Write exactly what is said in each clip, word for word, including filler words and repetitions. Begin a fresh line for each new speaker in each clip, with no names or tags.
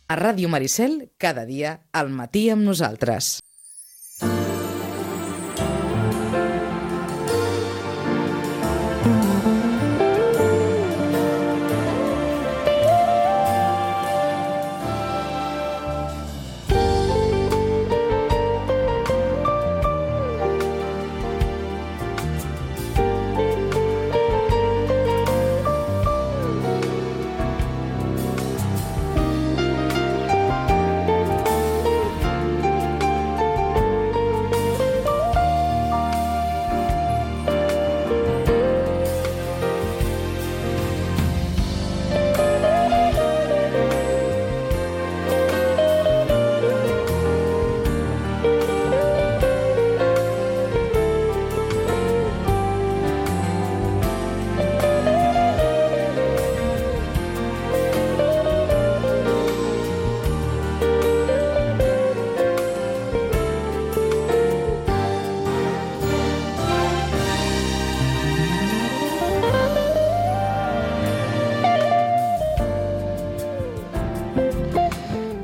A Ràdio Maricel, cada dia, al matí amb nosaltres.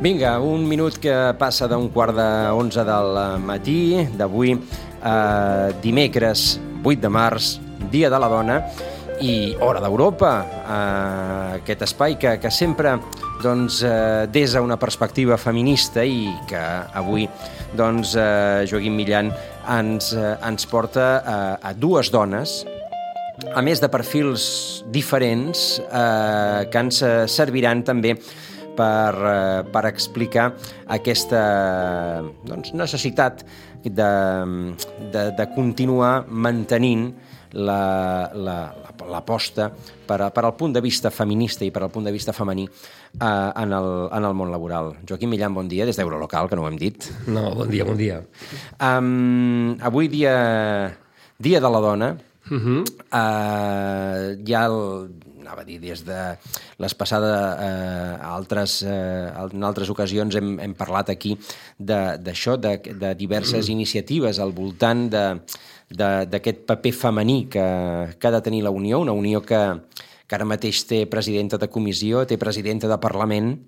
Vinga, un minut que passa d'un quart d'onze del matí d'avui, eh, dimecres vuit de març, Dia de la Dona i Hora d'Europa, eh, aquest espai que, que sempre doncs, eh, des d'una perspectiva feminista i que avui doncs, eh, Joaquim Millan ens, eh, ens porta eh, a dues dones, a més de perfils diferents, eh, que ens serviran també Per, per explicar aquesta doncs, necessitat de, de, de continuar mantenint l'aposta la, la, per, per al punt de vista feminista i per al punt de vista femení eh, en, el, en el món laboral. Joaquim Millan, bon dia, des d'Eurolocal, que no ho hem dit.
No, bon dia, bon dia.
Um, avui dia, dia de la dona, uh-huh. uh, hi ha el anava a dir, des de les passades eh, altres, eh, en altres ocasions hem, hem parlat aquí d'això, de, de, de diverses mm. iniciatives al voltant d'aquest paper femení que, que ha de tenir la Unió, una Unió que, que ara mateix té presidenta de comissió, té presidenta de Parlament,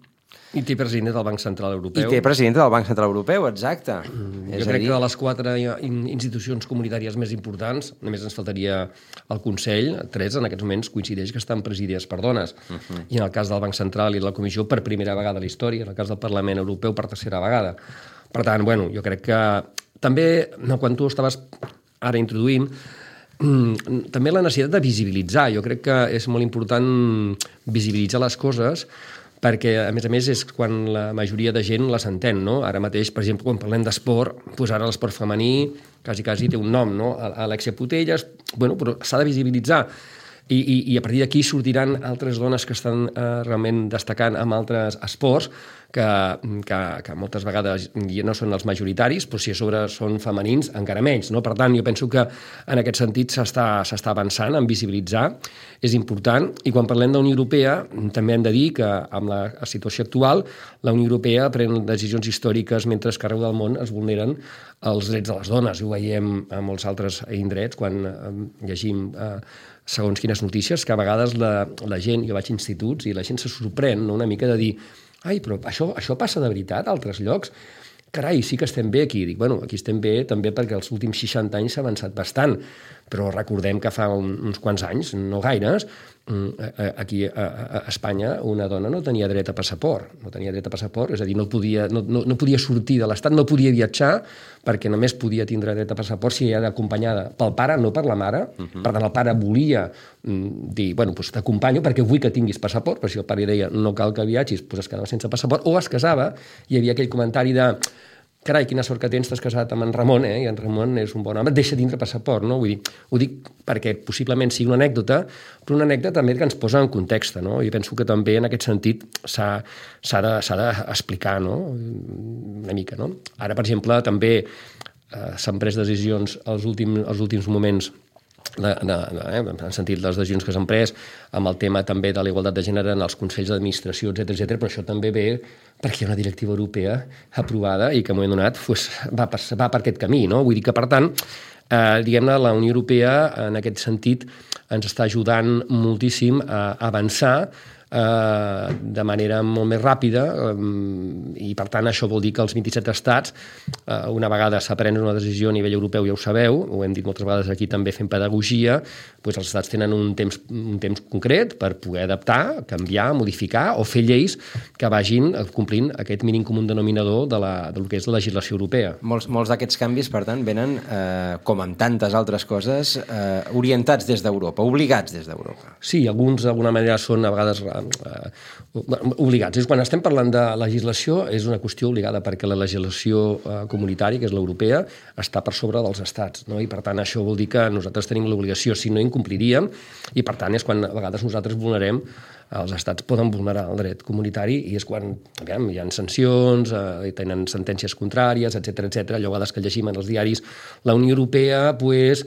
i té president del Banc Central Europeu.
I té president del Banc Central Europeu, exacte.
Mm, jo crec dir... que de les quatre institucions comunitàries més importants, només ens faltaria el Consell, tres en aquests moments coincideix que estan presidides per dones. Uh-huh. I en el cas del Banc Central i de la Comissió per primera vegada a la història, en el cas del Parlament Europeu per tercera vegada. Per tant, bueno, jo crec que també, no, quan tu estaves ara introduint, mm, també la necessitat de visibilitzar. Jo crec que és molt important visibilitzar les coses perquè, a més a més, és quan la majoria de gent les entén, no? Ara mateix, per exemple, quan parlem d'esport, doncs ara l'esport femení quasi, quasi té un nom, no? Alexia Putellas, bueno, però s'ha de visibilitzar. I, i, i a partir d'aquí sortiran altres dones que estan eh, realment destacant en altres esports que, que, que moltes vegades no són els majoritaris, però si a sobre són femenins, encara menys, no? Per tant, jo penso que en aquest sentit s'està s'està avançant en visibilitzar, és important, i quan parlem de la Unió Europea també hem de dir que amb la situació actual la Unió Europea pren decisions històriques mentre que arreu del món es vulneren els drets de les dones. Ho veiem a molts altres indrets quan eh, llegim eh, segons quines notícies, que a vegades la, la gent, jo vaig a instituts i la gent se sorprèn, no? Una mica de dir, ai, però això, això passa de veritat a altres llocs? Carai, sí que estem bé aquí. Dic, bueno, aquí estem bé també perquè els últims seixanta anys s'ha avançat bastant, però recordem que fa un, uns quants anys, no gaires, aquí a, a Espanya una dona no tenia dret a passaport, no tenia dret a passaport, és a dir, no podia, no, no, no podia sortir de l'Estat, no podia viatjar, perquè només podia tindre dret a passaport si era acompanyada pel pare, no per la mare. Uh-huh. Per tant, el pare volia dir, bueno, doncs t'acompanyo perquè vull que tinguis passaport, però si el pare deia no cal que viatgis, doncs es quedava sense passaport, o es casava, i hi havia aquell comentari de carai, quina sort que tens, t'has casat amb en Ramon, eh? I en Ramon és un bon home, deixa tindre passaport, no? Vull dir, ho dic perquè possiblement sigui una anècdota, però una anècdota també que ens posa en context, no? I penso que també en aquest sentit s'ha, s'ha de, s'ha d'explicar, no? Una mica, no? Ara, per exemple, també eh, s'han pres decisions als últims, als últims moments de, de, de, eh, en sentit les decisions que s'han pres amb el tema també de la igualtat de gènere en els consells d'administració, etcètera, etcètera, però això també ve perquè hi ha una directiva europea aprovada i que en un moment donat pues, va, per, va per aquest camí, no? Vull dir que, per tant, eh, diguem-ne, la Unió Europea en aquest sentit ens està ajudant moltíssim a avançar eh, de manera molt més ràpida eh, i, per tant, això vol dir que els vint-i-set estats, eh, una vegada s'ha pres una decisió a nivell europeu, ja ho sabeu, ho hem dit moltes vegades aquí també fent pedagogia, doncs els estats tenen un temps, un temps concret per poder adaptar, canviar, modificar o fer lleis que vagin complint aquest mínim comú denominador de, la, de lo que és la legislació europea.
Molts, molts d'aquests canvis, per tant, venen, eh, com amb tantes altres coses, eh, orientats des d'Europa, obligats des d'Europa.
Sí, alguns d'alguna manera són a vegades eh, obligats. És quan estem parlant de legislació és una qüestió obligada perquè la legislació eh, comunitària, que és l'europea, està per sobre dels estats, no? I per tant això vol dir que nosaltres tenim l'obligació, si no incompliríem, i per tant és quan a vegades nosaltres vulnerem, els estats poden vulnerar el dret comunitari i és quan aviam, hi ha sancions, eh, tenen sentències contràries, etcètera, etcètera. Allò a vegades que llegim en els diaris, la Unió Europea, pues,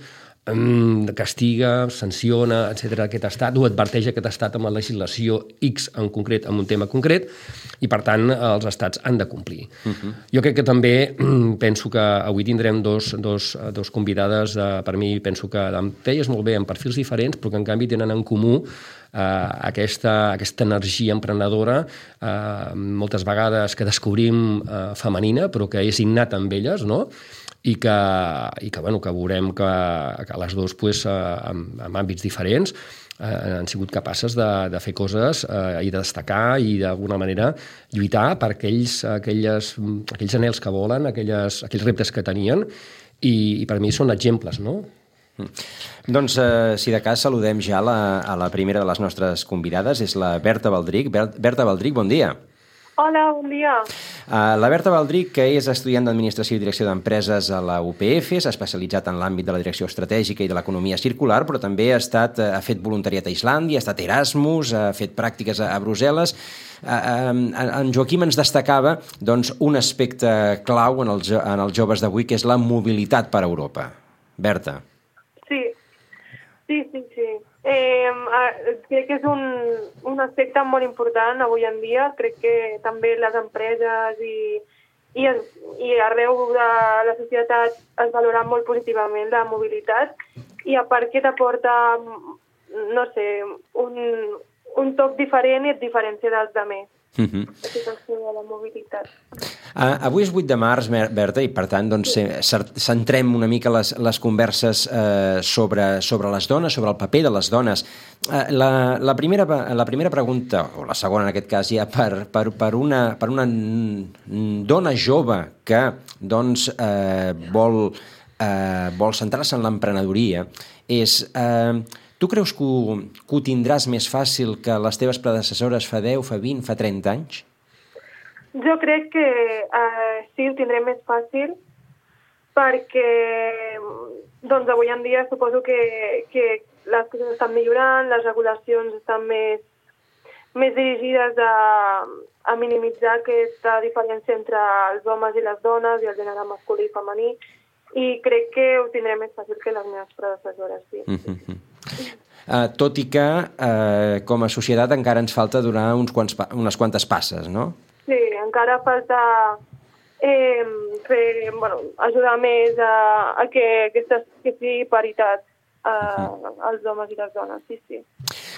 castiga, sanciona, etcètera, aquest estat, o adverteix aquest estat amb la legislació X en concret, amb un tema concret, i per tant els estats han de complir. Uh-huh. Jo crec que també penso que avui tindrem dos, dos, dos convidades, eh, per mi penso que deies molt bé, amb perfils diferents, però que en canvi tenen en comú eh, aquesta, aquesta energia emprenedora, eh, moltes vegades que descobrim eh, femenina, però que és innata amb elles, no?, i que, i que, bueno, que veurem que, que les dues, pues, en, en àmbits diferents, eh, han sigut capaces de, de fer coses eh, i de destacar i d'alguna manera lluitar per aquells, aquelles, aquells anhels que volen, aquelles, aquells reptes que tenien, i, i per mi són exemples, no?
Mm. Doncs, eh, si de cas, saludem ja la, a la primera de les nostres convidades, és la Berta Baldric. Berta Baldric, bon dia.
Hola, bon dia.
Uh, la Berta Baldric, que és estudiant d'Administració i Direcció d'Empreses a la U P F, s'ha especialitzat en l'àmbit de la direcció estratègica i de l'economia circular, però també ha, estat, ha fet voluntariat a Islàndia, ha estat Erasmus, ha fet pràctiques a, a Brussel·les. Uh, uh, en Joaquim ens destacava, doncs, un aspecte clau en els, en els joves d'avui, que és la mobilitat per Europa. Berta.
Sí, sí, sí, sí. Eh, crec que és un, un aspecte molt important avui en dia. Crec que també les empreses i, i, i arreu de la societat es valora molt positivament la mobilitat, i a part que t'aporta, no sé, un, un toc diferent i et diferencia dels altres. Uh-huh. De la mobilitat.
Uh, avui és vuit de març, Berta, i per tant doncs, centrem una mica les, les converses uh, sobre, sobre les dones, sobre el paper de les dones. Uh, la, la, primera, la primera pregunta, o la segona en aquest cas, ja per, per, per, una, per una dona jove que doncs, uh, vol, uh, vol centrar-se en l'emprenedoria, és... Uh, Tu creus que ho, que ho tindràs més fàcil que les teves predecessores fa deu, fa vint, fa trenta anys?
Jo crec que eh, sí, ho tindré més fàcil perquè doncs, avui en dia suposo que, que les coses estan millorant, les regulacions estan més, més dirigides a, a minimitzar aquesta diferència entre els homes i les dones i el gènere masculí i femení, i crec que ho tindré més fàcil que les meves predecessores, sí. Mm-hmm.
Uh, tot i que uh, com a societat encara ens falta donar uns quants, unes quantes passes, no?
Sí, encara falta eh, fer, bueno, ajudar més a, a que, aquesta, que sigui paritat uh, uh-huh. als homes i les dones, sí, sí.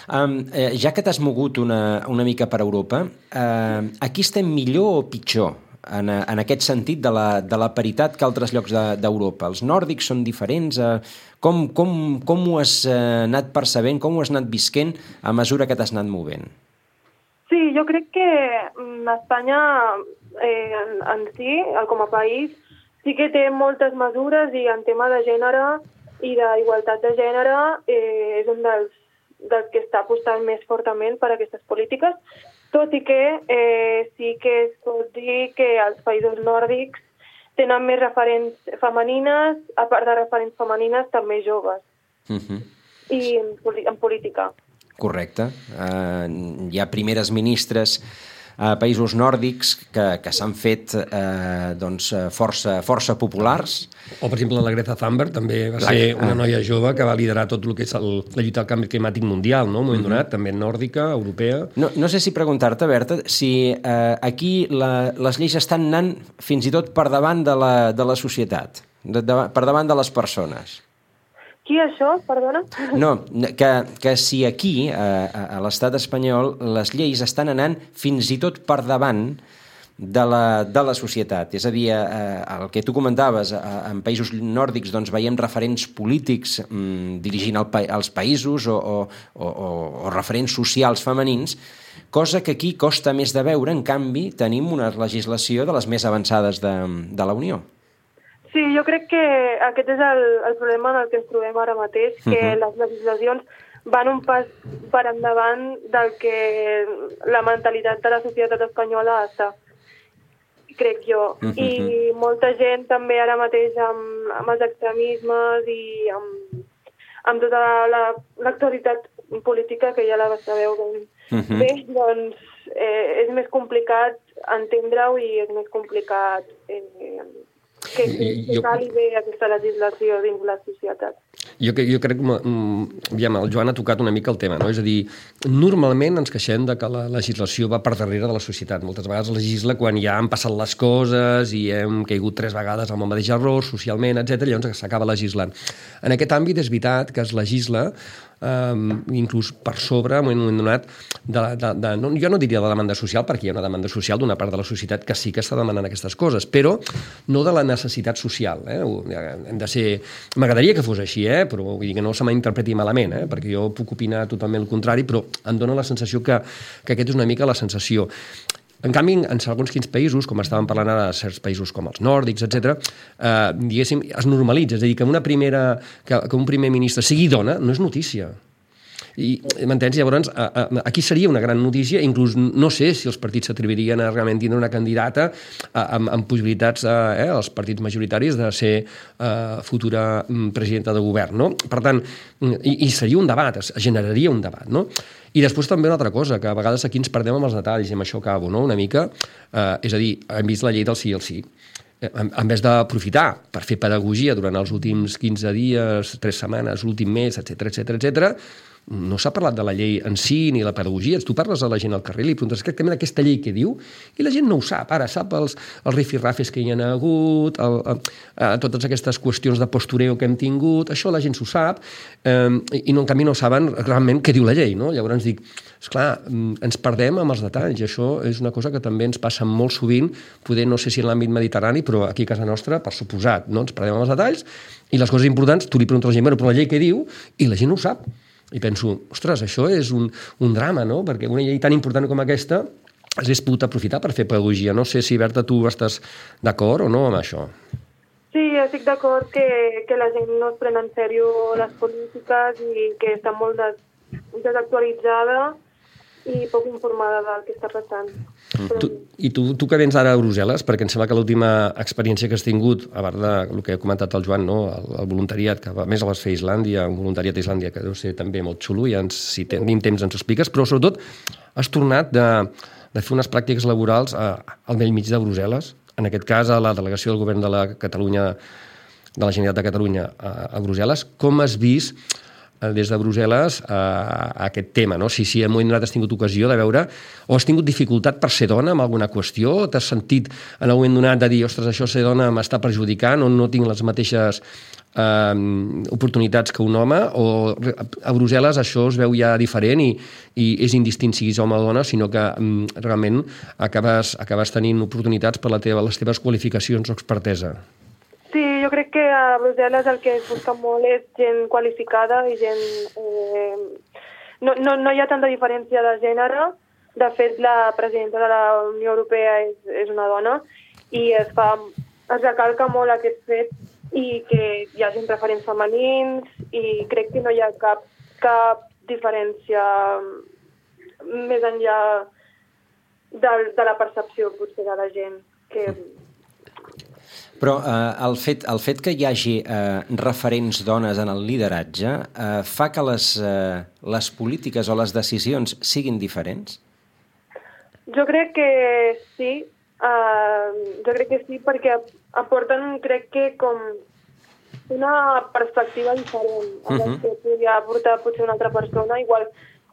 Um, eh, ja que t'has mogut una, una mica per Europa, uh, aquí estem millor o pitjor en, en aquest sentit de la, de la paritat que altres llocs d'Europa? De, Els nòrdics són diferents? Uh, com, com, com ho has uh, anat percebent, com ho has anat visquent a mesura que t'has anat movent?
Sí, jo crec que Espanya eh, en, en si, com a país, sí que té moltes mesures, i en tema de gènere i d'igualtat de gènere eh, és un dels, dels que està apostant més fortament per aquestes polítiques, tot i que eh, sí que es pot dir que els països nòrdics tenen més referents femenines, a part de referents femenines, també joves, uh-huh. i en, en política.
Correcte. Uh, hi ha primeres ministres a països nòrdics que, que s'han fet eh, doncs, força, força populars.
O, per exemple, la Greta Thunberg també va la, ser una noia jove que va liderar tot el que és el, la lluita al canvi climàtic mundial, no? Un moment donat, també nòrdica, europea.
No, no sé si preguntar-te, Berta, si eh, aquí la, les lleis estan anant fins i tot per davant de la, de la societat, de, de, per davant de les persones.
Qui això, perdona?
No, que, que si aquí, a, a l'estat espanyol, les lleis estan anant fins i tot per davant de la, de la societat. És a dir, eh, el que tu comentaves, eh, en països nòrdics doncs, veiem referents polítics mm, dirigint el pa els països o, o, o, o referents socials femenins, cosa que aquí costa més de veure. En canvi, tenim una legislació de les més avançades de, de la Unió.
Sí, jo crec que aquest és el, el problema en el que ens trobem ara mateix, que uh-huh. les legislacions van un pas per endavant del que la mentalitat de la societat espanyola està, crec jo. Uh-huh. I molta gent també ara mateix amb, amb els extremismes i amb, amb tota l'actualitat política, que ja la sabeu ben uh-huh. bé, doncs eh, és més complicat entendre-ho i és més complicat eh, que, que jo... cal bé aquesta legislació dins la societat.
Jo, jo crec que aviam, el Joan ha tocat una mica el tema, no? És a dir, normalment ens queixem de que la legislació va per darrere de la societat. Moltes vegades legisla quan ja han passat les coses i hem caigut tres vegades amb el mateix error, socialment, etcètera, llavors s'acaba legislant. En aquest àmbit és veritat que es legisla Um, inclús per sobre, en un moment donat, de, de, de, no, jo no diria de la demanda social, perquè hi ha una demanda social d'una part de la societat que sí que està demanant aquestes coses, però no de la necessitat social. Eh? Hem de ser... M'agradaria que fos així, eh? Però vull dir que no se m'interpreti malament, eh? Perquè jo puc opinar totalment el contrari, però em dóna la sensació que, que aquest és una mica la sensació. En canvi, en segons quins països, com estàvem parlant ara de certs països com els nòrdics, etcètera, eh, diguéssim, es normalitza. És a dir, que, una primera, que, que un primer ministre sigui dona no és notícia. I, m'entens? Llavors, a, a, aquí seria una gran notícia, inclús no sé si els partits s'atrevirien a realment tindre una candidata a, amb, amb possibilitats, eh, els partits majoritaris, de ser eh, futura presidenta de govern, no? Per tant, i, i seria un debat, es generaria un debat, no? I després també una altra cosa, que a vegades aquí ens perdem amb els detalls, i amb això acabo, no?, una mica. Eh, és a dir, hem vist la llei del sí al sí. En, en vez d'aprofitar per fer pedagogia durant els últims quinze dies, tres setmanes, l'últim mes, etcètera, etcètera, etcètera, no s'ha parlat de la llei en si ni la pedagogia. Tu parles a la gent al carrer i li preguntes exactament aquesta llei què diu i la gent no ho sap. Ara sap els, els rifirrafes que hi ha hagut, el, el, el, totes aquestes qüestions de postureo que hem tingut, això la gent s'ho sap, eh, i no, en canvi no saben realment què diu la llei, no? Llavors dic, esclar, ens perdem amb els detalls, i això és una cosa que també ens passa molt sovint, poder no sé si en l'àmbit mediterrani, però aquí a casa nostra, per suposat, no? Ens perdem amb els detalls, i les coses importants, tu li preguntes a la gent, bueno, però la llei què diu? I la gent no ho sap. I penso, ostres, això és un, un drama, no? Perquè una llei tan important com aquesta s'hagués pogut aprofitar per fer pedagogia. No sé si, Berta, tu estàs d'acord o no amb això.
Sí, estic d'acord que, que la gent no es pren en sèrio les polítiques i que està molt des, desactualitzada i poc informada del que està passant. Però...
Tu, I tu, tu que vens ara a Brussel·les, perquè em sembla que l'última experiència que has tingut, a part del que ha comentat el Joan, no? el, el voluntariat, que a més el vas fer a Islàndia, un voluntariat a Islàndia que deu ser també molt xulo, i ens, si tenim temps ens ho expliques, però sobretot has tornat de, de fer unes pràctiques laborals a, al vell mig de Brussel·les, en aquest cas a la delegació del govern de la Catalunya, de la Generalitat de Catalunya a, a Brussel·les. Com has vist des de Brussel·les a, a aquest tema, no? Si, si en un moment donat has tingut ocasió de veure o has tingut dificultat per ser dona en alguna qüestió, o t'has sentit en un moment donat de dir, ostres, això ser dona m'està perjudicant o no tinc les mateixes eh, oportunitats que un home, o a Brussel·les això es veu ja diferent i, i és indistint siguis home o dona, sinó que um, realment acabes, acabes tenint oportunitats per la teva, les teves qualificacions o expertesa.
Sí, jo crec que a Brussel·les el que es busca molt és gent qualificada i gent... Eh, no, no, no hi ha tanta diferència de gènere. De fet, la presidenta de la Unió Europea és, és una dona i es, fa, es recalca molt aquest fet i que hi ha gent referents femenins i crec que no hi ha cap, cap diferència més enllà de, de la percepció potser de la gent que...
Però eh, el, fet, el fet que hi hagi eh, referents dones en el lideratge eh, fa que les, eh, les polítiques o les decisions siguin diferents?
Jo crec que sí. Uh, jo crec que sí perquè aporten, crec que, com una perspectiva diferent a la uh-huh. que podria aportar potser una altra persona, igual,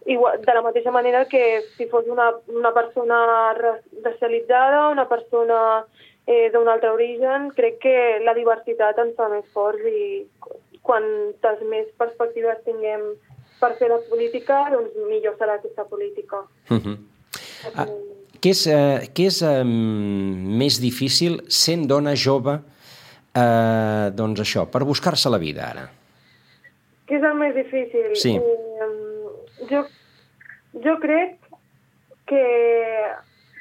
igual de la mateixa manera que si fos una, una persona racialitzada, una persona... Eh, d'un altre origen, crec que la diversitat ens fa més forts i quantes més perspectives tinguem per fer la política, doncs millor serà aquesta política.
Uh-huh. Ah, què és, eh, què és eh, més difícil sent dona jove, eh, doncs això, per buscar-se la vida ara?
Què és el més difícil?
Sí.
Eh, jo, jo crec que,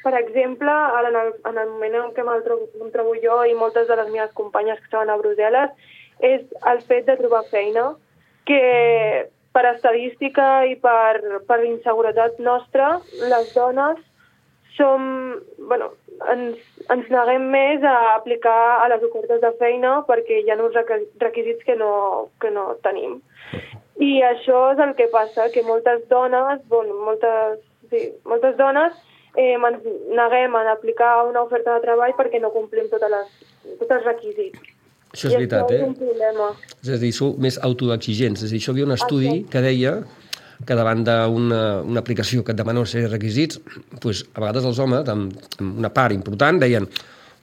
per exemple, ara en el, en el moment en què me'l trobo, em trobo jo i moltes de les meves companyes que estaven a Brussel·les, és el fet de trobar feina, que per estadística i per, per inseguretat nostra, les dones som, bueno, ens, ens neguem més a aplicar a les ofertes de feina perquè hi ha uns requisits que no, que no tenim. I això és el que passa, que moltes dones, bueno, moltes, sí, moltes dones eh, ens neguem a aplicar una oferta de treball perquè no complim totes les, tots els requisits.
Això és veritat,
eh?
És un problema. És a dir, sou més autoexigents. És a dir, això hi havia un estudi que deia que davant d'una una aplicació que et demana una sèrie de requisits, doncs, a vegades els homes, amb, amb una part important, deien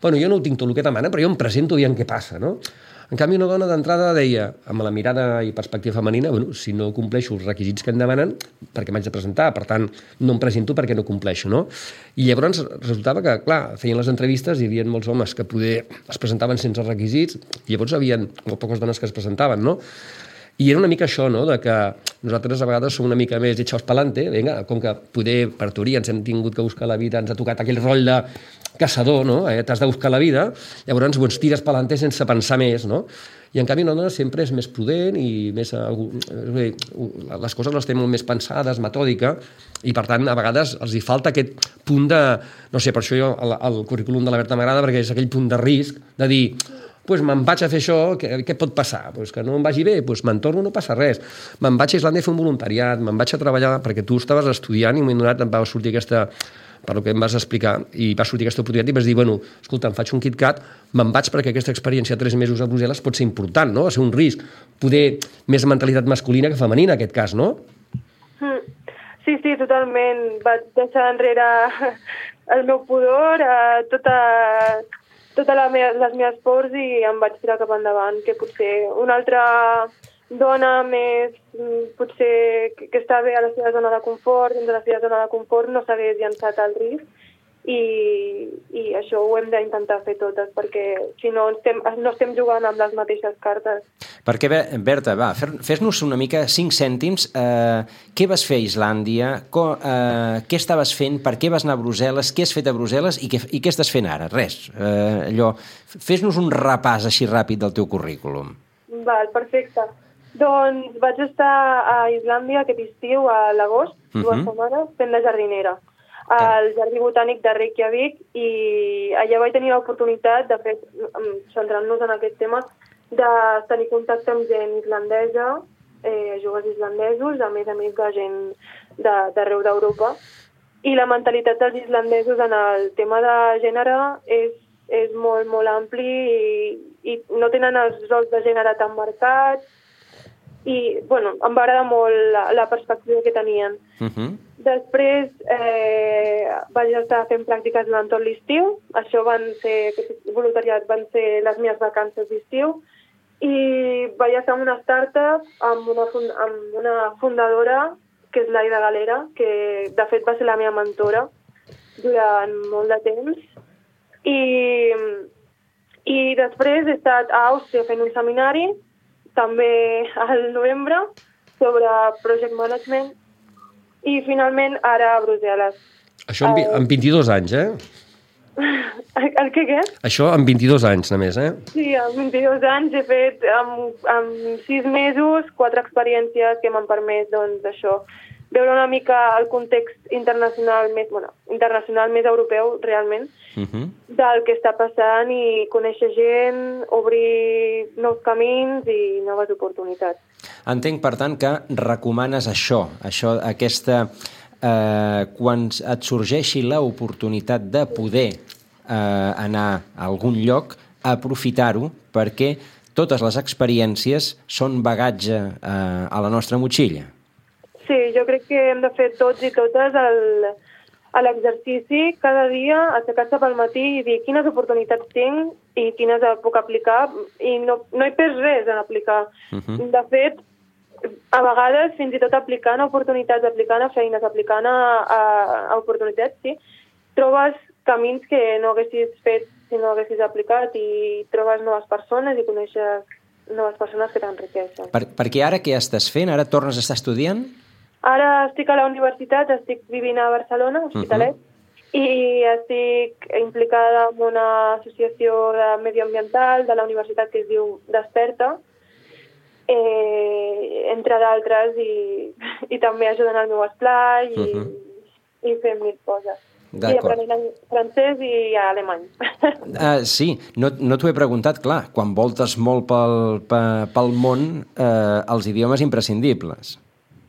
bueno, jo no ho tinc tot el que demana, però jo em presento aviam què passa, no? En canvi, una dona d'entrada deia, amb la mirada i perspectiva femenina, bueno, si no compleixo els requisits que em demanen, per què m'haig de presentar? Per tant, no em presento perquè no compleixo, no? I llavors resultava que, clar, feien les entrevistes i hi havia molts homes que poder es presentaven sense requisits, i llavors hi havia molt poques dones que es presentaven, no? I era una mica això, no?, de que nosaltres a vegades som una mica més echaos pa'lante, vinga, com que poder, per teoria, ens hem tingut que buscar la vida, ens ha tocat aquell rol de caçador, no?, eh? T'has de buscar la vida, llavors doncs, tires pa'lante sense pensar més, no? I en canvi una dona sempre és més prudent i més, les coses les té molt més pensades, metòdica, i per tant a vegades els hi falta aquest punt de, no sé, per això jo el, el currículum de la Berta m'agrada perquè és aquell punt de risc de dir pues me'n vaig a fer això, què, què pot passar? Pues que no em vagi bé, pues me'n torno, no passa res. Me'n vaig a Islàndia a fer un voluntariat, me'n vaig a treballar, perquè tu estaves estudiant i un moment donat em va sortir aquesta, per el que em vas explicar, i va sortir aquesta oportunitat i vas dir, bueno, escolta, em faig un KitKat, me'n vaig perquè aquesta experiència de tres mesos a Brussel·les pot ser important, no? Va ser un risc, poder més mentalitat masculina que femenina, en aquest cas, no?
Sí, sí, totalment. Vaig deixar enrere el meu pudor, eh, tota... totes la me les meves pors i em vaig tirar cap endavant, que potser una altra dona més, potser que, que està bé a la seva zona de confort, dins de la seva zona de confort, no s'hagués llançat al risc i, i això ho hem d'intentar fer totes, perquè si no estem, no estem jugant amb les mateixes cartes.
Perquè, Berta, va, fes-nos una mica cinc cèntims. Eh, què vas fer a Islàndia? Co, eh, què estaves fent? Per què vas anar a Brussel·les? Què has fet a Brussel·les? I què, i què estàs fent ara? Res. Eh, allò, fes-nos un repàs així ràpid del teu currículum.
Val, perfecte. Doncs vaig estar a Islàndia aquest estiu, a l'agost, dues uh-huh. setmanes, fent de jardinera al Jardí Botànic de Reykjavik, i allà vaig tenir l'oportunitat, de fet, centrant-nos en aquest tema, de tenir contacte amb gent islandesa, eh, joves islandesos, a més a més de gent d'arreu d'Europa. I la mentalitat dels islandesos en el tema de gènere és, és molt, molt ampli i, i no tenen els rols de gènere tan marcats. I, bueno, em va agradar molt la, la perspectiva que tenien. Uh-huh. Després eh, vaig estar fent pràctiques durant tot l'estiu. Això van ser, aquest voluntariat van ser les meves vacances d'estiu. I vaig estar en una startup amb una, fund amb una fundadora, que és l'Aida Galera, que de fet va ser la meva mentora durant molt de temps. I, i després he estat a Àustria fent un seminari, també al novembre, sobre project management, i finalment ara a Brussel·les.
Això amb, amb vint-i-dos anys, eh?
El què, què?
Això amb vint-i-dos anys, només, eh?
Sí, amb vint-i-dos anys he fet amb, amb sis mesos, quatre experiències que m'han permès, doncs, això, veure una mica el context internacional més, bueno, internacional més europeu, realment, uh-huh. del que està passant i conèixer gent, obrir nous camins i noves oportunitats.
Entenc, per tant, que recomanes això, això aquesta... Eh, quan et sorgeixi l'oportunitat de poder eh, anar a algun lloc, aprofitar-ho, perquè totes les experiències són bagatge eh, a la nostra motxilla.
Sí, jo crec que hem de fer tots i totes el, a l'exercici cada dia, aixecar-se pel matí i dir quines oportunitats tinc i quines puc aplicar, i no, no hi perds res en aplicar. Uh-huh. De fet, a vegades, fins i tot aplicant a oportunitats, aplicant a feines, aplicant a, a, a oportunitats, sí, trobes camins que no haguessis fet si no haguessis aplicat, i trobes noves persones i coneixes noves persones que t'enriqueixen.
Per, perquè ara què estàs fent? Ara tornes a estar estudiant?
Ara estic a la universitat, estic vivint a Barcelona, Hospitalet, uh-huh. i estic implicada en una associació de medioambiental de la universitat que es diu Desperta, eh, entre d'altres, i, i també ajudant al meu esplai i, uh-huh. i fent mil coses. I aprenent francès i alemany.
Uh, sí, no, no t'ho he preguntat, clar, quan voltes molt pel, pel món, eh, els idiomes imprescindibles.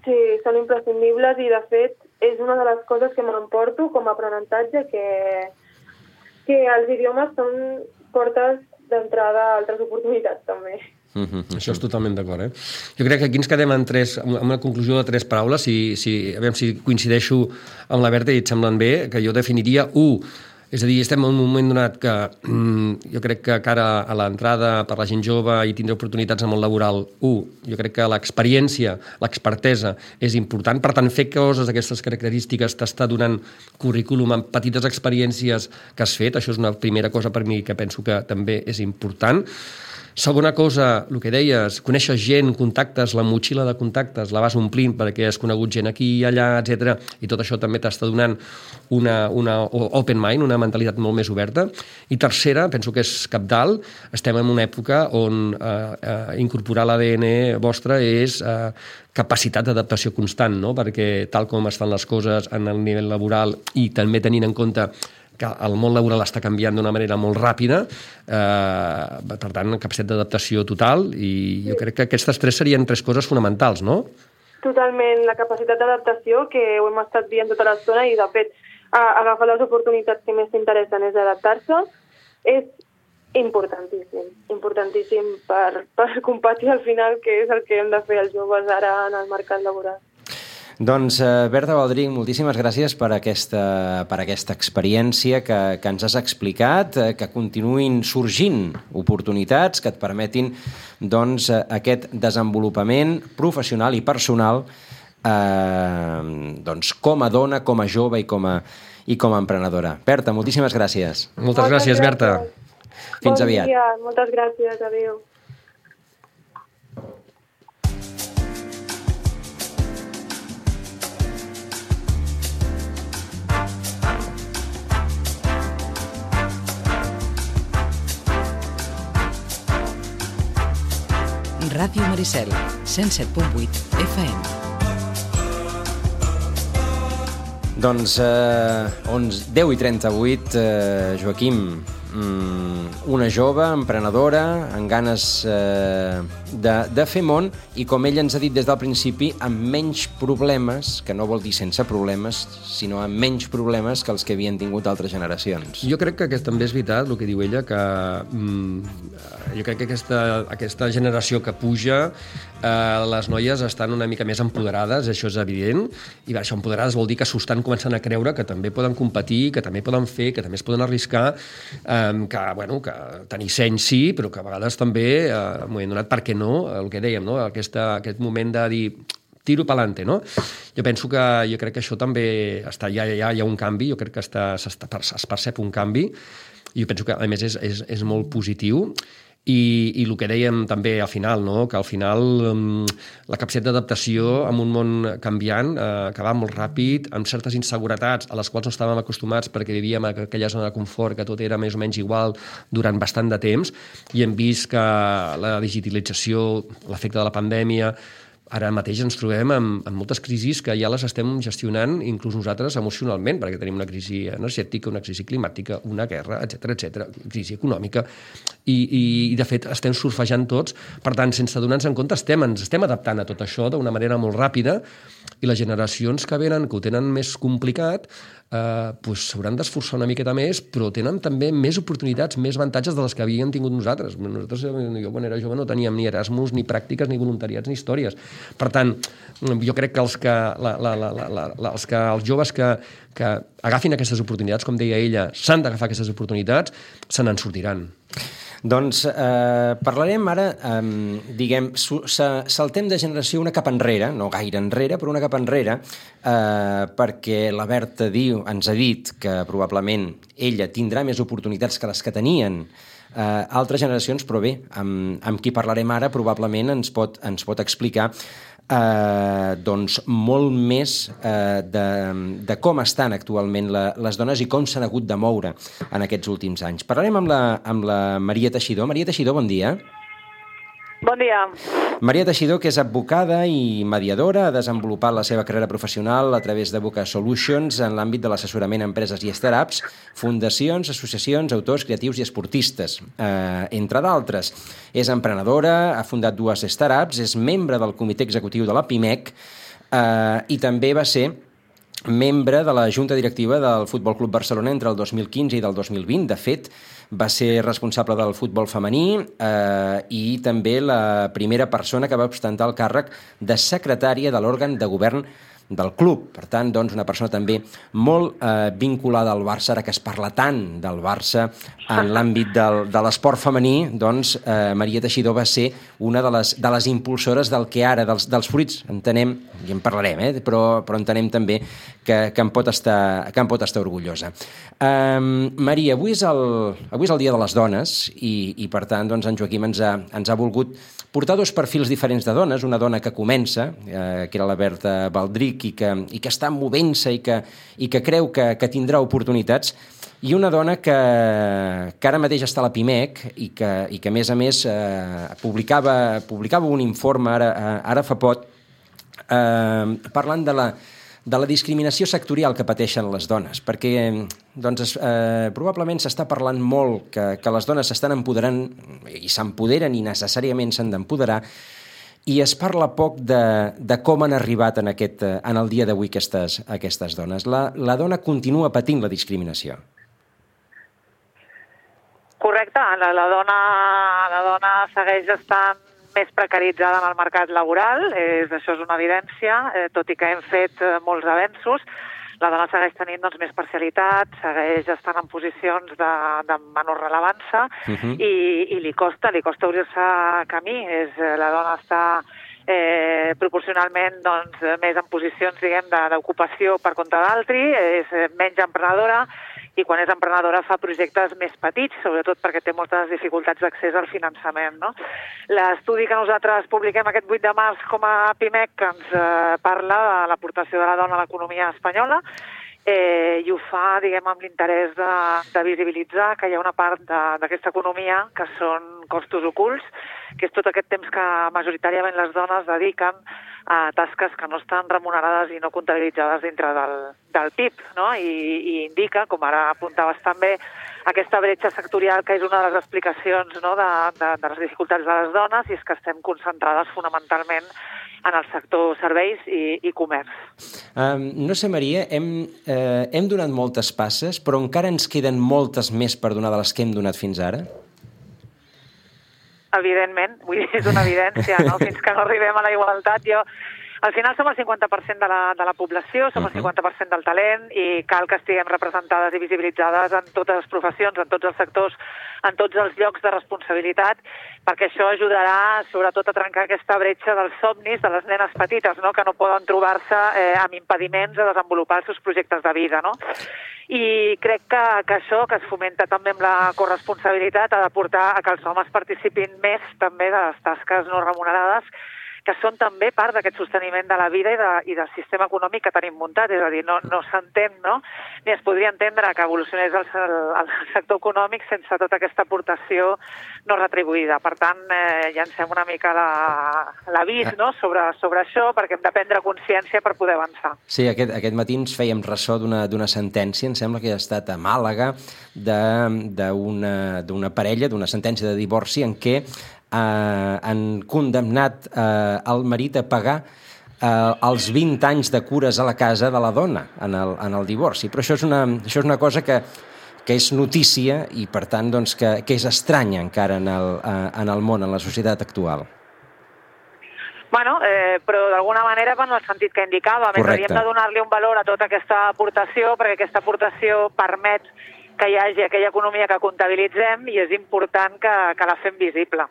Sí, són imprescindibles i, de fet, és una de les coses que m'emporto com a aprenentatge, que, que els idiomes són portes d'entrada a altres oportunitats, també.
Mm-hmm. Això és totalment d'acord, eh? Jo crec que aquí ens quedem en tres, amb una conclusió de tres paraules, si, si, a veure si coincideixo amb la Berta i et semblen bé, que jo definiria u, és a dir, estem en un moment donat que mm, jo crec que cara a l'entrada per la gent jove i tindre oportunitats en el món laboral, u, jo crec que l'experiència, l'expertesa és important, per tant fer coses d'aquestes característiques t'està donant currículum amb petites experiències que has fet, això és una primera cosa per mi que penso que també és important. Segona cosa, el que deies, conèixer gent, contactes, la motxilla de contactes, la vas omplint perquè has conegut gent aquí i allà, etcètera, i tot això també t'està donant una, una open mind, una mentalitat molt més oberta. I tercera, penso que és cabdal, estem en una època on eh, eh, incorporar l'A D N vostre és eh, capacitat d'adaptació constant, no? Perquè tal com estan les coses en el nivell laboral i també tenint en compte que el món laboral està canviant d'una manera molt ràpida, eh, per tant, capacitat d'adaptació total, i jo crec que aquestes tres serien tres coses fonamentals, no?
Totalment, la capacitat d'adaptació, que ho hem estat dient tota l'estona, i de fet, agafar les oportunitats que més t'interessen és adaptar-se, és importantíssim, importantíssim per, per competir al final, que és el que hem de fer els joves ara en el mercat laboral.
Doncs, eh, Berta Baldrich, moltíssimes gràcies per aquesta, per aquesta experiència que, que ens has explicat, eh, que continuïn sorgint oportunitats que et permetin doncs, aquest desenvolupament professional i personal eh, doncs, com a dona, com a jove i com a, i com a emprenedora. Berta, moltíssimes gràcies.
Moltes, Moltes gràcies, gràcies, Berta.
Fins
bon
aviat.
Dia. Moltes gràcies, adéu.
Ràdio Maricel, cent set punt vuit F M.
Doncs eh, deu i trenta-vuit, eh, Joaquim, mm, una jove emprenedora amb ganes eh, de, de fer món i, com ella ens ha dit des del principi, amb menys problemes, que no vol dir sense problemes, sinó amb menys problemes que els que havien tingut altres generacions.
Jo crec que aquest, també és veritat el que diu ella, que mm, jo crec que aquesta, aquesta generació que puja, eh, les noies estan una mica més empoderades, això és evident, i això, empoderades vol dir que s'ho estan començant a creure, que també poden competir, que també poden fer, que també es poden arriscar, eh, que, bueno, que tenir seny sí, però que a vegades també, eh, m'ho he donat, per què no, el que dèiem, no? Aquesta, aquest moment de dir tiro pa'lante, no? Jo penso que, jo crec que això també està, ja, ja hi ha un canvi, jo crec que està, està, es percep un canvi, i jo penso que, a més, és, és, és molt positiu. I, i el que dèiem també al final, no? Que al final um, la capacitat d'adaptació en un món canviant, eh, que va molt ràpid, amb certes inseguretats a les quals no estàvem acostumats perquè vivíem en aquella zona de confort, que tot era més o menys igual durant bastant de temps, i hem vist que la digitalització, l'efecte de la pandèmia, ara mateix ens trobem amb, amb moltes crisis que ja les estem gestionant inclús nosaltres emocionalment, perquè tenim una crisi energètica, una crisi climàtica, una guerra, etcètera, etcètera, crisi econòmica, i, i, i de fet estem surfejant tots. Per tant, sense donar-nos en compte, estem, ens estem adaptant a tot això d'una manera molt ràpida, i les generacions que venen, que ho tenen més complicat, eh, pues s'hauran d'esforçar una miqueta més, però tenen també més oportunitats, més avantatges de les que havíem tingut nosaltres. Nosaltres, jo quan era jove, no teníem ni Erasmus, ni pràctiques, ni voluntariats, ni històries. Per tant, jo crec que els, que, la, la, la, la, la, els, que, els joves que, que agafin aquestes oportunitats, com deia ella, s'han d'agafar aquestes oportunitats, se n'en sortiran.
Doncs eh, parlarem ara, eh, diguem, saltem de generació una cap enrere, no gaire enrere, però una cap enrere, eh, perquè la Berta diu, ens ha dit que probablement ella tindrà més oportunitats que les que tenien eh, altres generacions, però bé, amb, amb qui parlarem ara probablement ens pot, ens pot explicar Eh, doncs molt més eh, de, de com estan actualment la, les dones i com s'han hagut de moure en aquests últims anys. Parlarem amb la, amb la Maria Teixidor. Maria Teixidor, bon dia.
Bon dia.
Maria Teixidor, que és advocada i mediadora, ha desenvolupat la seva carrera professional a través de Boca Solutions en l'àmbit de l'assessorament a empreses i startups, fundacions, associacions, autors, creatius i esportistes, eh, entre d'altres. És emprenedora, ha fundat dues startups, és membre del comitè executiu de la Pimec eh, i també va ser membre de la Junta Directiva del Futbol Club Barcelona entre el dos mil quinze i del dos mil vint. De fet, va ser responsable del futbol femení eh, i també la primera persona que va ostentar el càrrec de secretària de l'òrgan de govern del club. Per tant, doncs, una persona també molt eh, vinculada al Barça, ara que es parla tant del Barça en l'àmbit del, de l'esport femení, doncs eh, Maria Teixidor va ser una de les, de les impulsores del que ara, dels, dels fruits, entenem, i en parlarem, eh, però, però entenem també que, que, en pot estar, que en pot estar orgullosa. Um, Maria, avui és, el, avui és el Dia de les Dones i, i per tant, doncs, en Joaquim ens ha, ens ha volgut portar dos perfils diferents de dones, una dona que comença, eh, que era la Berta Baldric, i que, i que està movent-se i que, i que creu que, que tindrà oportunitats, i una dona que, que ara mateix està a la Pimec i que, i que a més a més, eh, publicava, publicava un informe ara, ara fa poc eh, parlant de la, de la discriminació sectorial que pateixen les dones, perquè doncs, eh, probablement s'està parlant molt que, que les dones s'estan empoderant i s'empoderen i necessàriament s'han d'empoderar, i es parla poc de, de com han arribat en, aquest, en el dia d'avui aquestes, aquestes dones. La, la dona continua patint la discriminació.
Correcte, la, la, dona, la dona segueix estant més precaritzada en el mercat laboral, és, això és una evidència, eh, tot i que hem fet eh, molts avenços. La dona segueix tenint doncs, més parcialitat, segueix estant en posicions de, de menor rellevància uh-huh. i, i li costa, li costa obrir-se camí. És, la dona està eh, proporcionalment doncs, més en posicions diguem, d'ocupació per compte d'altri, és menys emprenedora, i quan és emprenedora fa projectes més petits, sobretot perquè té moltes dificultats d'accés al finançament. No? L'estudi que nosaltres publiquem aquest vuit de març com a Pimec que ens eh, parla de l'aportació de la dona a l'economia espanyola eh, i ho fa diguem, amb l'interès de, de visibilitzar que hi ha una part d'aquesta economia que són costos ocults, que és tot aquest temps que majoritàriament les dones dediquen a tasques que no estan remunerades i no comptabilitzades dintre del, del P I B, no? I, i indica, com ara apuntaves també, aquesta bretxa sectorial que és una de les explicacions no? de, de, de les dificultats de les dones i és que estem concentrades fonamentalment en el sector serveis i, i comerç.
Um, no sé, Maria, hem, eh, hem donat moltes passes, però encara ens queden moltes més per donar de les que hem donat fins ara?
Evidentment, vull dir, és una evidència, no? Fins que no arribem a la igualtat. Jo, al final som el cinquanta per cent de la, de la població, som el cinquanta per cent del talent i cal que estiguem representades i visibilitzades en totes les professions, en tots els sectors, en tots els llocs de responsabilitat, perquè això ajudarà sobretot a trencar aquesta bretxa dels somnis de les nenes petites, no? Que no poden trobar-se eh, amb impediments a desenvolupar els seus projectes de vida, no? I crec que, que això, que es fomenta també amb la corresponsabilitat, ha de portar a que els homes participin més també de les tasques no remunerades, que són també part d'aquest sosteniment de la vida i, de, i del sistema econòmic que tenim muntat. És a dir, no, no s'entén, no? Ni es podria entendre que evolucionés el, el, el sector econòmic sense tota aquesta aportació no retribuïda. Per tant, eh, llancem una mica l'avís no? sobre, sobre això, perquè hem de prendre consciència per poder avançar.
Sí, aquest, aquest matí ens fèiem ressò d'una sentència, em sembla que ha estat a Màlaga, d'una parella, d'una sentència de divorci en què Eh, han condemnat eh, el marit a pagar eh, els vint anys de cures a la casa de la dona en el, en el divorci. Però això és una, això és una cosa que, que és notícia i, per tant, doncs, que, que és estranya encara en el, eh, en el món, en la societat actual.
Bueno, eh, però d'alguna manera va en el sentit que indicava. Més hauríem de donar-li un valor a tota aquesta aportació, perquè aquesta aportació permet que hi hagi aquella economia que comptabilitzem i és important que, que la fem visible.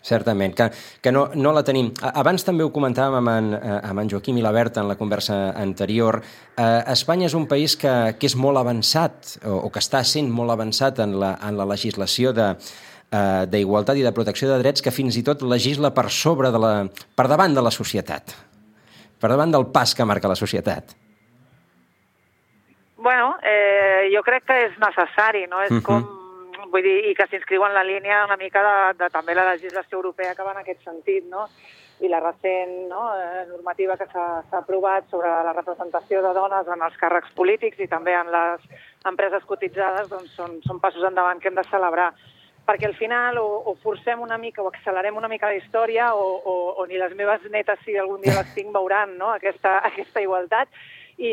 Certament, que, que no, no la tenim. Abans també ho comentàvem amb en, amb en Joaquim i la Berta en la conversa anterior. Eh, Espanya és un país que, que és molt avançat, o, o que està sent molt avançat en la, en la legislació de, eh, d'igualtat i de protecció de drets, que fins i tot legisla per sobre de la, per davant de la societat, per davant del pas que marca la societat.
Bueno, eh, jo crec que és necessari, no? És uh-huh. com, vull dir, i que s'inscriu en la línia una mica de, de també la legislació europea que va en aquest sentit, no? I la recent no, eh, normativa que s'ha aprovat sobre la representació de dones en els càrrecs polítics i també en les empreses cotitzades, doncs són, són passos endavant que hem de celebrar. Perquè al final o, o forcem una mica o accelerem una mica la història o, o, o ni les meves netes, si algun dia les tinc, veuran no, aquesta, aquesta igualtat. I,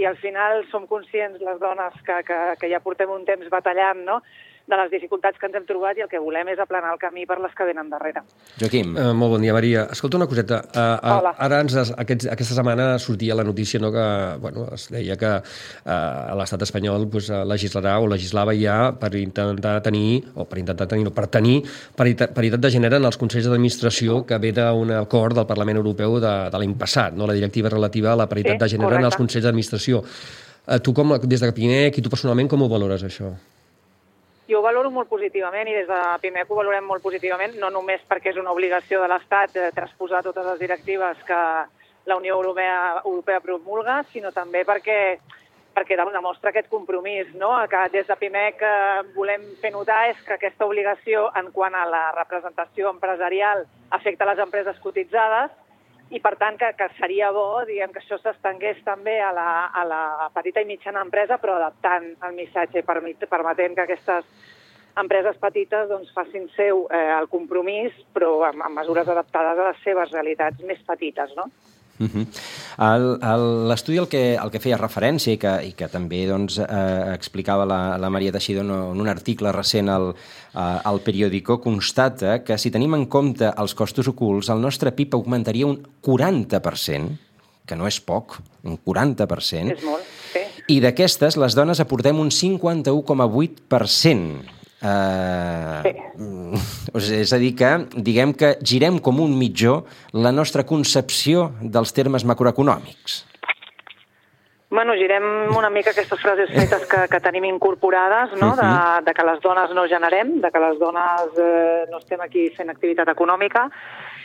i al final som conscients, les dones, que, que, que ja portem un temps batallant, no?, de les dificultats que ens hem trobat i el que volem és aplanar el camí per les que venen darrere.
Joaquim.
Uh, molt bon dia, Maria. Escolta una coseta. Uh,
Hola.
Ara ens, aquests, aquesta setmana sortia la notícia no, que bueno, es deia que uh, l'estat espanyol pues, legislarà o legislava ja per intentar tenir, o per intentar tenir, no, per tenir paritat, paritat de gènere en els consells d'administració que ve d'un acord del Parlament Europeu de, de l'any passat, no? La directiva relativa a la paritat sí, de gènere correcte. En els consells d'administració. Uh, tu, com, des de Pimec i tu personalment, com ho valores, això?
Jo ho valoro molt positivament i des de Pimec ho valorem molt positivament, no només perquè és una obligació de l'Estat eh, transposar totes les directives que la Unió Europea, Europea promulga, sinó també perquè, perquè demostra aquest compromís, no? Que des de Pimec eh, volem fer notar és que aquesta obligació en quant a la representació empresarial afecta les empreses cotitzades i, per tant, que, que seria bo diguem, que això s'estengués també a la, a la petita i mitjana empresa, però adaptant el missatge, permetent que aquestes empreses petites doncs, facin seu eh, el compromís, però amb, amb mesures adaptades a les seves realitats més petites, no?
Uh-huh. L'estudi al que, al que feia referència i que, i que també doncs, eh, explicava la, la Maria Teixidó en un article recent al, al periòdico, constata que si tenim en compte els costos ocults, el nostre P I B augmentaria un quaranta per cent, que no és poc, un quaranta per cent.
És molt, sí.
I d'aquestes, les dones aportem un cinquanta-u coma vuit per cent. Uh, sí. És a dir que, diguem que girem com un mitjó la nostra concepció dels termes macroeconòmics.
Bueno, girem una mica aquestes frases fetes que, que tenim incorporades, no? de, de que les dones no generem, de que les dones eh, no estem aquí fent activitat econòmica,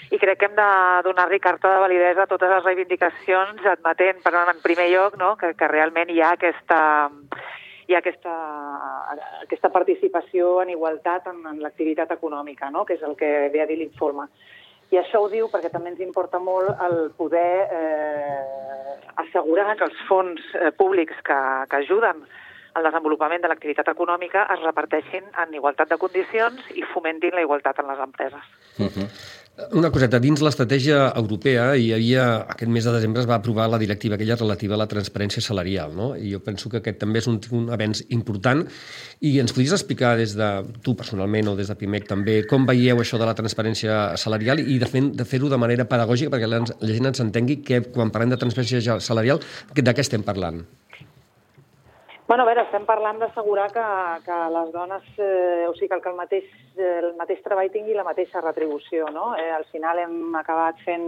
i crec que hem de donar-li carta de validesa a totes les reivindicacions, admetent, però en primer lloc, no? que, que realment hi ha aquesta... hi ha aquesta, aquesta participació en igualtat en, en l'activitat econòmica, no? que és el que ve a dir l'informe. I això ho diu perquè també ens importa molt el poder eh, assegurar que els fons eh, públics que, que ajuden al desenvolupament de l'activitat econòmica es reparteixin en igualtat de condicions i fomentin la igualtat en les empreses.
Uh-huh. Una coseta, dins l'estratègia europea hi havia, aquest mes de desembre es va aprovar la directiva aquella relativa a la transparència salarial, no? I jo penso que aquest també és un, un avenç important i ens podries explicar des de tu personalment o des de Pimec també com veieu això de la transparència salarial i de, fer, de fer-ho de manera pedagògica perquè la, la gent ens entengui que quan parlem de transparència salarial de què estem parlant?
Bueno, a veure, estem parlant d'assegurar que, que les dones, eh, o sigui, que el mateix, el mateix treball tingui la mateixa retribució, no? Eh, al final hem acabat fent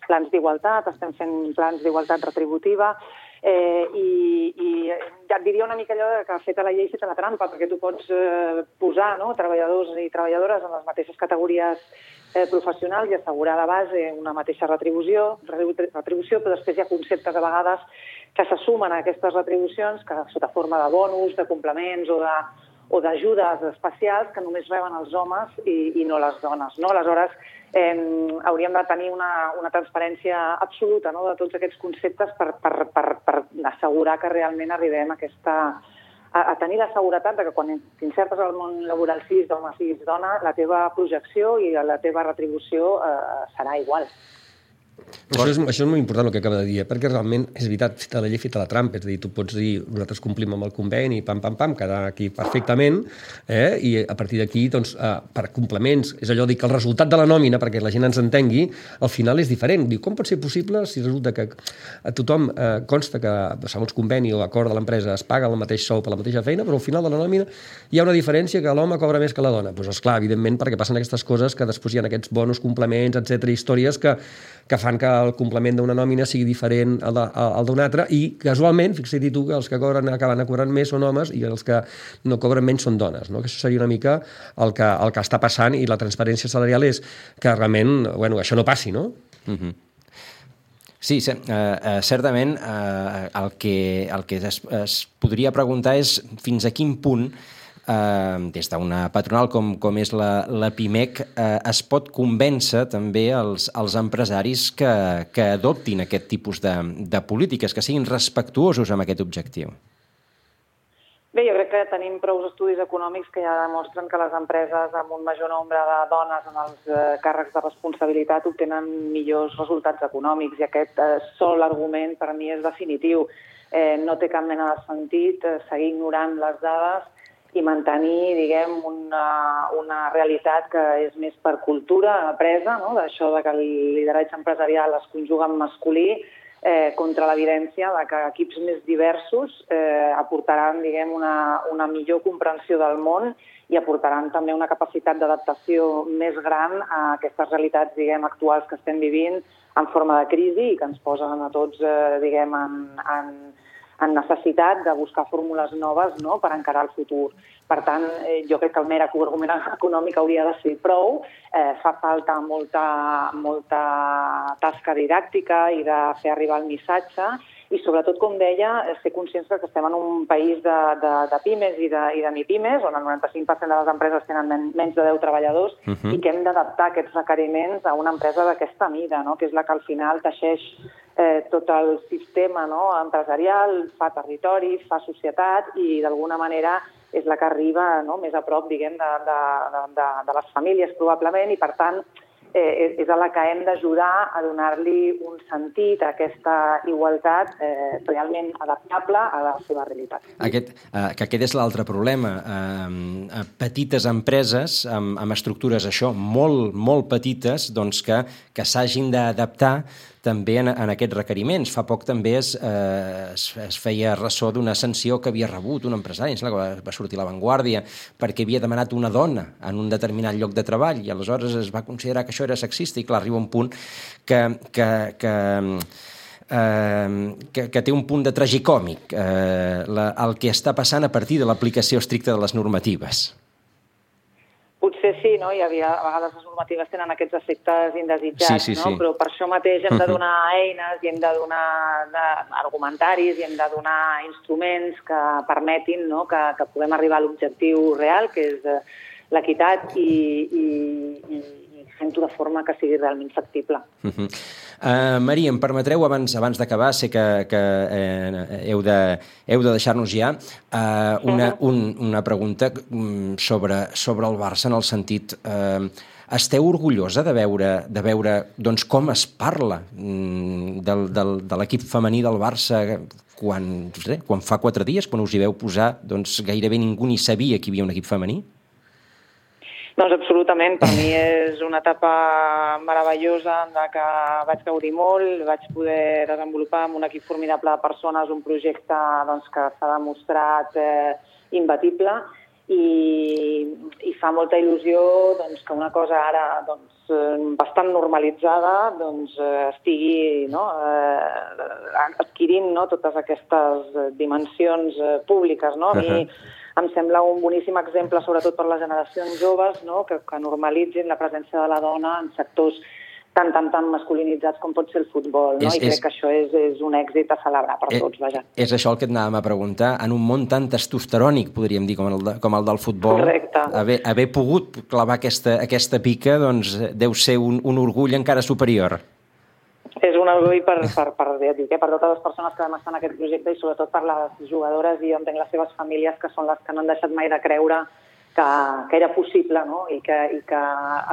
plans d'igualtat, estem fent plans d'igualtat retributiva, eh, i, i ja et diria una mica allò que ha fet a la llei feta la trampa, perquè tu pots eh, posar no, treballadors i treballadores en les mateixes categories eh, professionals i assegurar de base una mateixa retribució, retribució, però després hi ha conceptes a vegades que se sumen a aquestes retribucions, que sota forma de bonus, de complements o de o d'ajudes especials que només reben els homes i, i no les dones. No? Aleshores, eh, hauríem de tenir una, una transparència absoluta no? de tots aquests conceptes per, per, per, per assegurar que realment arribem a, aquesta, a, a tenir la seguretat de que quan t'insertes al món laboral siguis d'home, siguis dona, la teva projecció i la teva retribució eh, serà igual.
Això és, això és molt important el que acaba de dir, eh? Perquè realment és veritat, feta la llei, feta la trampa, és a dir, tu pots dir, nosaltres complim amb el conveni, pam, pam, pam, quedar aquí perfectament, eh? I a partir d'aquí, doncs, eh, per complements, és allò dir que el resultat de la nòmina, perquè la gent ens entengui, al final és diferent. Diu, com pot ser possible si resulta que a tothom eh, consta que, segons conveni o acord de l'empresa, es paga el mateix sou per la mateixa feina, però al final de la nòmina hi ha una diferència que l'home cobra més que la dona? Doncs, esclar, evidentment, perquè passen aquestes coses que després hi ha aquests bonus, complements, etcètera, històries que, que fan que el complement d'una nòmina sigui diferent al, al d'una altra i, casualment, fixa't tu que els que cobren, acaben cobrant més són homes i els que no cobren menys són dones, no? Que això seria una mica el que, el que està passant i la transparència salarial és que realment, bueno, això no passi, no?
Mhm. Sí, uh, uh, certament uh, el que, el que es, es podria preguntar és fins a quin punt Uh, des d'una patronal com, com és la, la PIMEC, uh, es pot convèncer també els, els empresaris que, que adoptin aquest tipus de, de polítiques, que siguin respectuosos amb aquest objectiu?
Bé, jo crec que tenim prou estudis econòmics que ja demostren que les empreses amb un major nombre de dones en els eh, càrrecs de responsabilitat obtenen millors resultats econòmics i aquest eh, sol argument per mi és definitiu. Eh, no té cap mena de sentit eh, seguir ignorant les dades i mantenir, diguem, una, una realitat que és més per cultura apresa, no? D'això de que el lideratge empresarial es conjuga en masculí, eh, contra l'evidència de que equips més diversos eh, aportaran, diguem, una, una millor comprensió del món i aportaran també una capacitat d'adaptació més gran a aquestes realitats, diguem, actuals que estem vivint en forma de crisi i que ens posen a tots, eh, diguem, en, en en necessitat de buscar fórmules noves, no?, per encarar el futur. Per tant, eh, jo crec que el mer argument econòmic hauria de ser prou. Eh, fa falta molta, molta tasca didàctica i de fer arribar el missatge i, sobretot, com deia, ser conscients que estem en un país de, de, de pimes i de, i de mipimes, on el noranta-cinc per cent de les empreses tenen men, menys de deu treballadors uh-huh. i que hem d'adaptar aquests requeriments a una empresa d'aquesta mida, no?, que és la que al final teixeix Eh, tot el sistema, no?, empresarial, fa territori, fa societat i d'alguna manera és la que arriba, no?, més a prop, diguem, de, de, de, de les famílies probablement i per tant eh, és a la que hem d'ajudar a donar-li un sentit a aquesta igualtat eh, realment adaptable a la seva realitat.
Aquest, eh, que aquest és l'altre problema. Eh, petites empreses amb, amb estructures això molt, molt petites doncs que, que s'hagin d'adaptar també en, en aquests requeriments. Fa poc també es, eh, es, es feia ressò d'una sanció que havia rebut un empresari, em sembla que va, va sortir a l'Avantguàrdia, perquè havia demanat una dona en un determinat lloc de treball i aleshores es va considerar que això era sexista i clar, arriba un punt que, que, que, eh, que, que té un punt de tragicòmic eh, la, el que està passant a partir de l'aplicació estricta de les normatives.
Potser sí, no? Hi havia, a vegades les normatives tenen aquests efectes indesitjats,
sí, sí,
no?
sí.
Però per això mateix hem de donar eines i hem de donar de, argumentaris i hem de donar instruments que permetin, no?, que, que puguem arribar a l'objectiu real, que és eh, l'equitat i, i, i, i fent-ho de forma que sigui realment factible.
Uh-huh. Uh, Maria, em permetreu, abans abans d'acabar, sé que, que eh, heu de, heu de deixar-nos ja, uh, una, un, una pregunta sobre, sobre el Barça en el sentit... Uh, esteu orgullosa de veure, de veure doncs, com es parla del, del, de l'equip femení del Barça quan, no sé, quan fa quatre dies, quan us hi veu posar, doncs gairebé ningú ni sabia que hi havia un equip femení?
Doncs absolutament, per mi és una etapa meravellosa en la que vaig gaudir molt, vaig poder desenvolupar amb un equip formidable de persones un projecte doncs, que s'ha demostrat eh, imbatible i, i fa molta il·lusió doncs, que una cosa ara doncs, bastant normalitzada doncs, estigui no, eh, adquirint no, totes aquestes dimensions eh, públiques. No? A mi uh-huh. em sembla un boníssim exemple, sobretot per les generacions joves, no? que, que normalitzin la presència de la dona en sectors tan, tan, tan masculinitzats com pot ser el futbol. No? És, I crec és, que això és, és un èxit a celebrar per és, tots. Vaja.
És això el que et anàvem a preguntar. En un món tan testosterònic, podríem dir, com el, de, com el del futbol, haver, haver pogut clavar aquesta, aquesta pica doncs, deu ser un, un orgull encara superior.
És un orgull per, per, per, dir, per totes les persones que vam estar en aquest projecte i sobretot per les jugadores i jo entenc les seves famílies, que són les que no han deixat mai de creure
que, que era possible, no? I, que, i que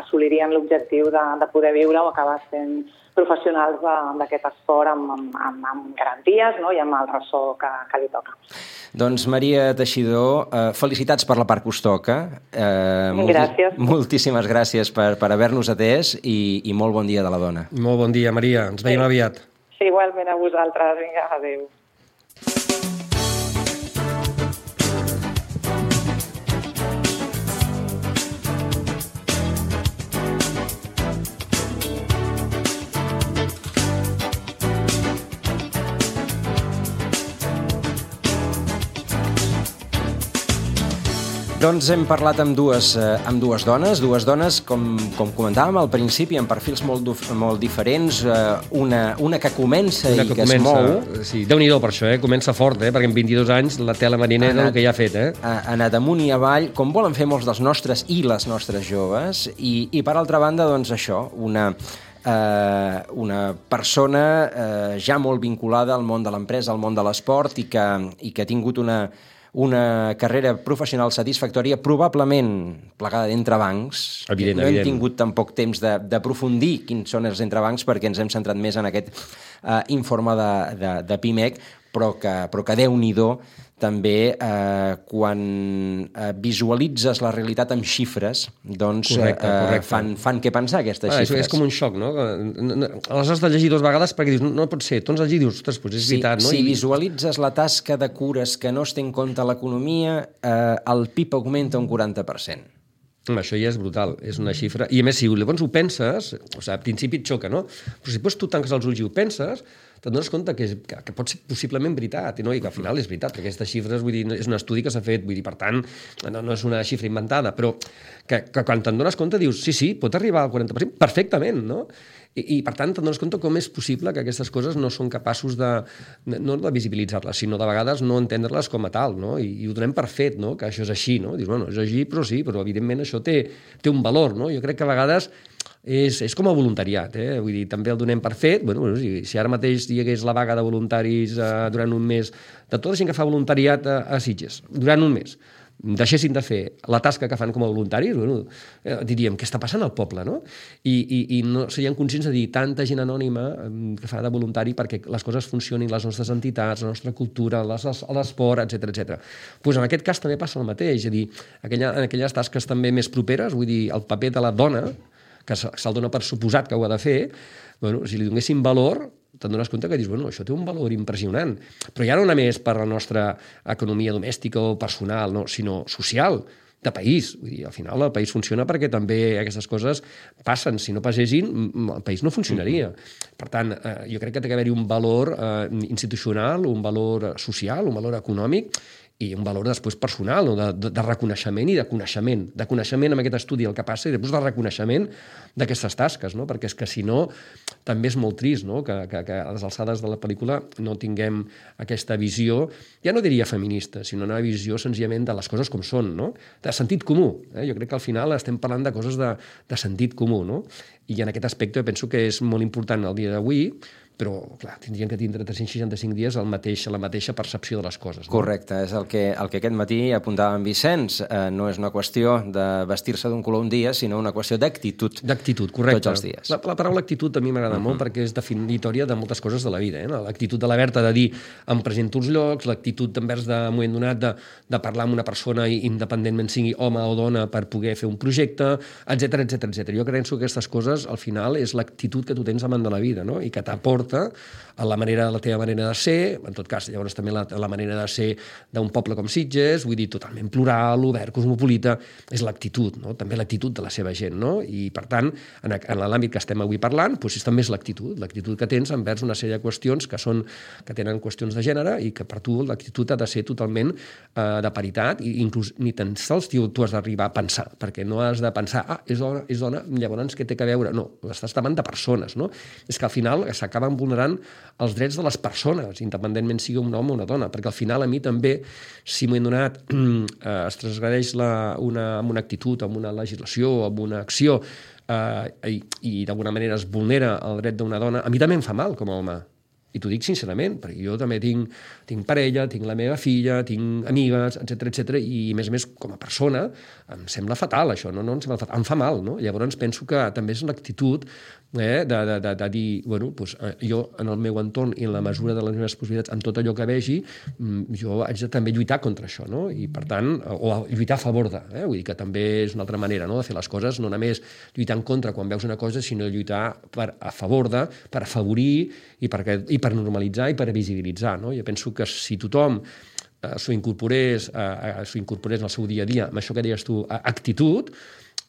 assolirien l'objectiu de, de poder viure o acabar sent professionals d'aquest esport amb, amb, amb garanties, no? I amb el ressò que, que li toca.
Doncs Maria Teixidor, eh, felicitats per la part que us toca. Eh,
gràcies.
Molti, moltíssimes gràcies per, per haver-nos atès i, i molt bon dia de la dona.
Molt bon dia, Maria. Ens veiem
sí.
aviat.
Sí, igualment a vosaltres. Vinga, adéu.
Doncs hem parlat amb dues, eh, amb dues dones, dues dones, com, com comentàvem al principi, amb perfils molt, molt diferents, eh, una, una que comença una que i que comença, es mou.
Sí, Déu-n'hi-do per això, eh? Comença fort, eh? Perquè en vint-i-dos anys la tela marinera és el que ja ha fet. Eh?
Ha anat amunt i avall, com volen fer molts dels nostres i les nostres joves, i, i per altra banda, doncs això, una... Uh, una persona uh, ja molt vinculada al món de l'empresa, al món de l'esport i que, i que ha tingut una, una carrera professional satisfactòria, probablement plegada d'entrebancs.
Evident,
no
evident.
hem tingut tampoc temps d'aprofundir quins són els entrebancs perquè ens hem centrat més en aquest uh, informe de, de, de PIMEC, però que, però que Déu-n'hi-do també eh, quan eh, visualitzes la realitat amb xifres, doncs correcte, eh, correcte. Fan, fan què pensar aquestes ah, xifres.
És com un xoc, no? Les has de llegir dues vegades perquè dius, no, no pot ser, tu ens has llegit, dius, ostres, doncs és
sí,
veritat, no?
Si
I...
visualitzes la tasca de cures que no es té en compte l'economia, eh, el P I B augmenta un quaranta per cent.
Això ja és brutal, és una xifra. I a més, si llavors ho penses, o sigui, al principi et xoca, no? Però si després tu tanques els ulls i ho penses, te'n dones compte que, és, que, que pot ser possiblement veritat, no? I que al final és veritat, perquè aquestes xifres, vull dir, és un estudi que s'ha fet, vull dir, per tant, no, no és una xifra inventada, però que, que quan te'n dones compte dius, sí, sí, pot arribar al quaranta per cent perfectament, no? I, i per tant, te'n dones compte com és possible que aquestes coses no són capaços de, no de visibilitzar-les, sinó de vegades no entendre-les com a tal, no? I, i ho donem per fet, no? Que això és així, no? Dius, bueno, és així, però sí, però evidentment això té, té un valor, no? Jo crec que a vegades és, és com a voluntariat, eh? Vull dir, també el donem per fet. Bueno, bueno, si, si ara mateix hi hagués la vaga de voluntaris eh, durant un mes, de tota la gent que fa voluntariat a, a Sitges, durant un mes, deixessin de fer la tasca que fan com a voluntaris, bueno, eh, diríem, què està passant al poble, no? I, i, i no serien conscients de dir tanta gent anònima eh, que fa de voluntari perquè les coses funcionin, les nostres entitats, la nostra cultura, l'esport, etcètera, etcètera. Pues en aquest cas també passa el mateix, és a dir, aquella, en aquelles tasques també més properes, vull dir, el paper de la dona, que se'l dona per suposat que ho ha de fer, bueno, si li donéssim valor, te'n dones compte que dius, bueno, això té un valor impressionant. Però ja no només per la nostra economia domèstica o personal, no, sinó social, de país. Vull dir, al final el país funciona perquè també aquestes coses passen. Si no passessin, el país no funcionaria. Per tant, eh, jo crec que té que haver-hi un valor eh, institucional, un valor social, un valor econòmic, i un valor després personal, no? de, de, de reconeixement i de coneixement. De coneixement amb aquest estudi el que passa i després de reconeixement d'aquestes tasques, no? Perquè és que si no també és molt trist, no? que, que, que a les alçades de la pel·lícula no tinguem aquesta visió, ja no diria feminista, sinó una visió senzillament de les coses com són, no? De sentit comú. Eh? Jo crec que al final estem parlant de coses de, de sentit comú, no? I en aquest aspecte penso que és molt important el dia d'avui, però, clar, tindrien que tindre tres-cents seixanta-cinc dies el mateix, la mateixa percepció de les coses. No?
Correcte, és el que, el que aquest matí apuntava en Vicenç. Eh, no és una qüestió de vestir-se d'un color un dia, sinó una qüestió d'actitud.
D'actitud, correcte.
Tots els dies.
La, la paraula actitud a mi m'agrada uh-huh. molt perquè és definitòria de moltes coses de la vida. Eh? L'actitud de la Berta de dir em presento als llocs, l'actitud envers de moment donat de, de parlar amb una persona independentment sigui home o dona per poder fer un projecte, etcètera, etcètera, etcètera. Jo crec que aquestes coses, al final, és l'actitud que tu tens davant de la vida, no? I que t'aporta a la manera, la teva manera de ser, en tot cas, llavors també la, la manera de ser d'un poble com Sitges, vull dir, totalment plural, obert, cosmopolita, és l'actitud, no? També l'actitud de la seva gent, no? I, per tant, en, en l'àmbit que estem avui parlant, doncs, també és l'actitud, l'actitud que tens envers una sèrie de qüestions que són, que tenen qüestions de gènere i que per tu l'actitud ha de ser totalment eh, de paritat i inclús ni tan sols tu, tu has d'arribar a pensar, perquè no has de pensar, ah, és dona, és dona, llavors què té que veure? No, estàs davant de persones, no? És que al final s'acaben vulnerant els drets de les persones, independentment sigui un home o una dona, perquè al final a mi també, si m'ho he donat, eh, es transgredeix la, una, amb una actitud, amb una legislació, amb una acció, eh, i, i d'alguna manera es vulnera el dret d'una dona, a mi també em fa mal com a home. I t'ho dic sincerament, perquè jo també tinc, tinc parella, tinc la meva filla, tinc amigues, etcètera, etcètera, i a més a més, com a persona, em sembla fatal, això, no? No em sembla fatal, em fa mal, no? Llavors penso que també és una actitud eh, de, de, de, de dir, bueno, doncs, jo en el meu entorn i en la mesura de les meves possibilitats, amb tot allò que vegi, jo haig de també lluitar contra això, no? I per tant, o lluitar a favor de, eh? Vull dir que també és una altra manera, no?, de fer les coses, no només lluitar en contra quan veus una cosa, sinó lluitar per, a favor de, per afavorir i per, i per normalitzar i per visibilitzar, no? Jo penso que si tothom eh, s'ho incorporés, eh, s'ho incorporés en el seu dia a dia, amb això que deies tu, actitud,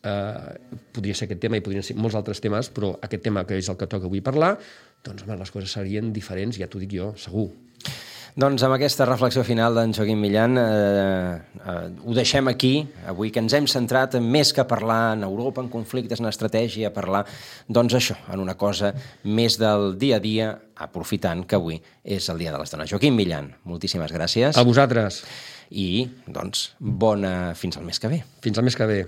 eh, podria ser aquest tema i podrien ser molts altres temes, però aquest tema que és el que toca avui parlar, doncs home, les coses serien diferents, ja t'ho dic jo, segur.
Doncs amb aquesta reflexió final d'en Joaquim Millan eh, eh, ho deixem aquí, avui que ens hem centrat més que parlar en Europa, en conflictes, en estratègia, a parlar, doncs això, en una cosa més del dia a dia, aprofitant que avui és el Dia de les Dones. Joaquim Millan, moltíssimes gràcies.
A vosaltres.
I, doncs, bona fins al mes que ve.
Fins al mes que ve.